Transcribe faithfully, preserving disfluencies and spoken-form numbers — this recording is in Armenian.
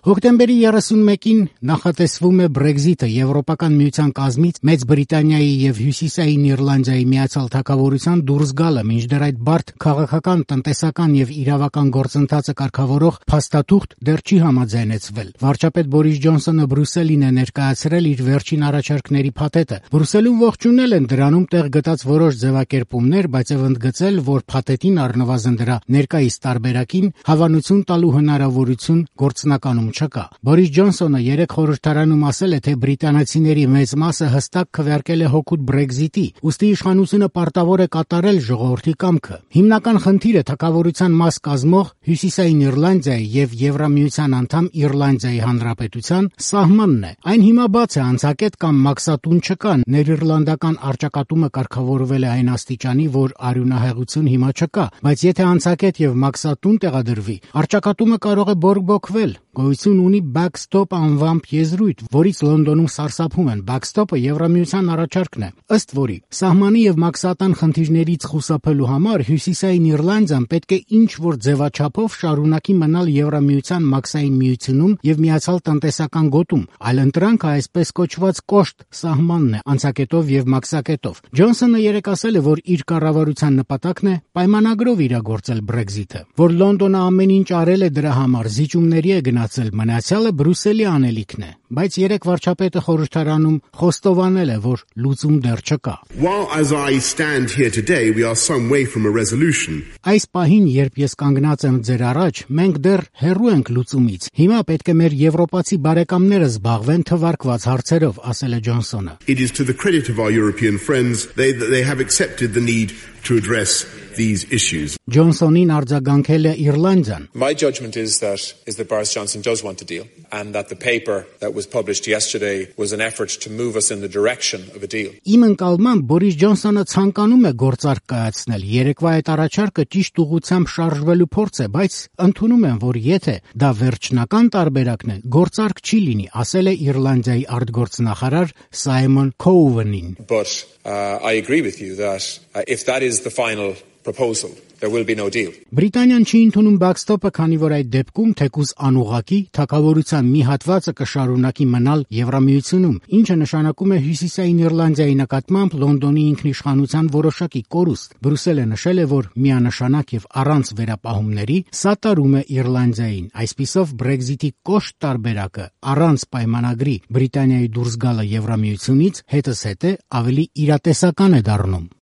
Հոկտեմբերի երեսունմեկին նախատեսվում է Brexit-ը Եվրոպական միության կազմից Մեծ Բրիտանիայի եւ Հյուսիսային Իռլանդիայի միացյալ թագավորության դուրս գալը, մինչդեռ այդ բարդ քաղաքական, տնտեսական եւ իրավական գործընթացը կարգավորող փաստաթուղթ դեռ չի համաձայնեցվել։ Վարչապետ Բորիս Ջոնսոնը Բրյուսելին է ներկայացրել իր վերջին առաջարկների փաթեթը։ Բրյուսելում ողջունել են դրանում տեղ գտած որոշ ձևակերպումներ, բայց եւ ընդգծել, որ փաթեթին առնվազն դրա ներկայիս տարբերակին հավանություն տալու հնարավորություն գործնականում չկա։ Բորիս Ջոնսոնը երեք խորհրդարանում ասել է, թե բրիտանացիների մեծ մասը հստակ քվեարկել է հօգուտ Brexit-ի, ուստի իշխանությունը պարտավոր է կատարել ժողովրդի կամքը։ Հիմնական խնդիրը թագավորության մաս կազմող Հյուսիսային Իռլանդիայի եւ Եվրամիության անդամ Իռլանդիայի Հանրապետության սահմանն է։ Այն հիմա բաց է, անցակետ կամ մաքսատուն չկա, ներիռլանդական առճակատումը կարգավորվել է այն աստիճանի, որ արյունահեղություն հիմա չկա, բայց եթե անցակետ եւ մաքսատուն տեղադրվի, առճակատումը կարող է բորբոքվել։ Գոյություն ունի backstop անվամբ եզրույթ, որից Լոնդոնում սարսափում են։ Backstop-ը Եվրամիության առաջարկն է, ըստ որի սահմանի եւ մաքսատան խնդիրներից խուսափելու համար Հյուսիսային Իռլանդիան պետք է ինչ-որ ձևաչափով շարունակի մնալ Եվրամիության մաքսային միությունում եւ միացյալ տնտեսական գոտում, այլ ընտրանքը այսպես կոչված կոշտ սահմանն է, անցակետով եւ մաքսակետով։ Ջոնսոնը երեկ ասել է, որ իր կառավարության նպատակն է պայմանագրով իրագործել Brexit-ը, որ Լոնդոնը ամեն ինչ արել է դրա համար, զիջումների է գնացել, մնացյալը Բրյուսելի անելիքն է, բայց երեք վարչապետը խորհրդարանում խոստովանել է, որ լուծում դեռ չկա։ While as I stand here today we are some way from a resolution. Այս պահին, երբ ես կանգնած եմ ձեր առաջ, մենք դեռ հեռու ենք լուծումից։ Հիմա պետք է մեր եվրոպացի բարեկամները զբաղվեն թվարկված հարցերով, ասել է Ջոնսոնը։ It is to the credit of our European friends they they have accepted the need to address these issues. Ջոնսոնին արձագանքել է Իռլանդիան։ My judgment is that is that Boris Johnson does want a deal and that the paper that was published yesterday was an effort to move us in the direction of a deal. Իմ ընկալմամբ Բորիս Ջոնսոնը ցանկանում է գործարք կայացնել։ Երեկվա այդ առաջարկը ճիշտ ուղղությամբ շարժվելու փորձ է, բայց ընդունում եմ, որ եթե դա վերջնական տարբերակն է, գործարք չի լինի, ասել է Իռլանդիայի արտգործնախարար Սայմոն Քոուվենին։ But uh, I agree with you that uh, if that is the final proposal, there will be no deal. Բրիտանիան չի ընդունում backstop-ը, քանի որ այդ դեպքում թեկուզ անուղղակի թագավորության մի հատվածը կշարունակի մնալ Եվրամիությունում, ինչը նշանակում է Հյուսիսային Իռլանդիայի նկատմամբ Լոնդոնի ինքնիշխանության որոշակի կորուստ։ Բրյուսելը նշել է, որ միանշանակ եւ առանց վերապահումների սատարում է Իռլանդիային։ Այսպիսով Brexit-ի կոշտ տարբերակը առանց պայմանագրի Բրիտանիայի դուրս գալը Եվրամիությունից հետզհետե ավելի իրատեսական է դառնում։